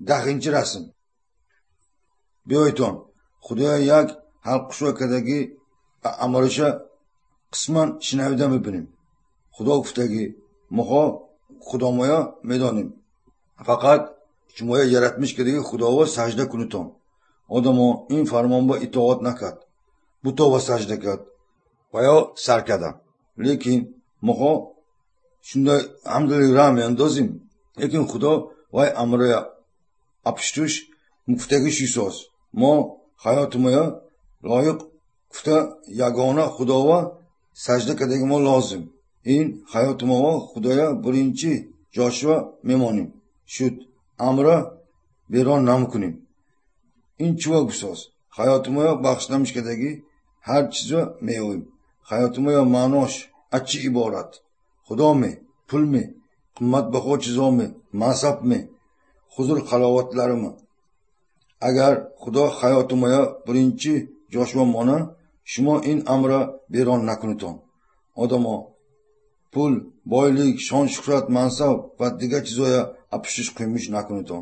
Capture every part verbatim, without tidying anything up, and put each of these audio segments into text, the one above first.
Даҳинчи расм. Биёйтон, Худоя як ҳалқушва кардагӣ амалиша қисман шинавида мебинем. Худо гуфтагӣ, моҳо Худомоя медонем. Фақат шумоя яратмиш кардагӣ Худово сажда кунитон. Одамо ин фармонба итоат накард. Бутова сажда кард ва ё сар карда. Лекин моҳо шунда ҳамдили ра меандозим. Лекин Худо вай амроя апштуш гуфтагӣ шисоз. Мо ҳаётимоя лоиқ гуфта ягона Худова сажда кардаги мо лозим. Ин ҳаётимово Худоя биринчи ҷошва мемонем. Шуд амра берон намекунем. Ин чува гусоз? Ҳаётимоя бахшидамиш кардаги ҳар чизро меёбем. Ҳаётимоя маънош аз чӣ иборат? Худо ме, пул ме, қиматбаҳо чизо ме, мансаб ме, ҳузур ҳаловатларimi? Агар Худо ҳаётимоя биринчи ҷошва мона, шумо ин амра берон накунитон. Одамо пул, бойлик, шон shuhrat, мансаб ва дигар чизоя апуштиш қуймиш накунитон.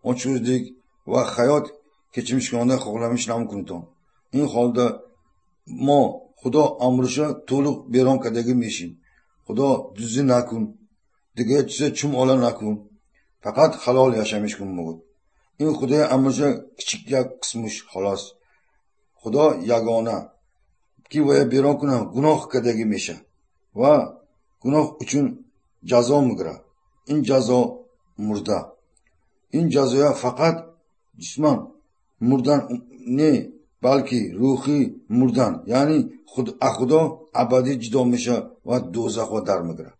Ochko'zlik va hayot kechimishkonda xohlamish namkuniton. Ин holda мо Худо амриша to'liq берон кардаги мешим. Худо дуздӣ накун, дигар чиза чум ола накун, фақат halol yashamish kun мегӯд. Ин Худои амриша kichik як qismish xolos. Худо ягона ки вая берон кунам гуноҳ кардаги меша ва гуноҳ uchun jazo мегирад. Ин ҷазо мурда. Ин ҷазоя фақат jisman murdan не, балки рӯҳӣ мурдан, яъне худ Худо абадӣ ҷудо меша ва дӯзахо дар мегирад.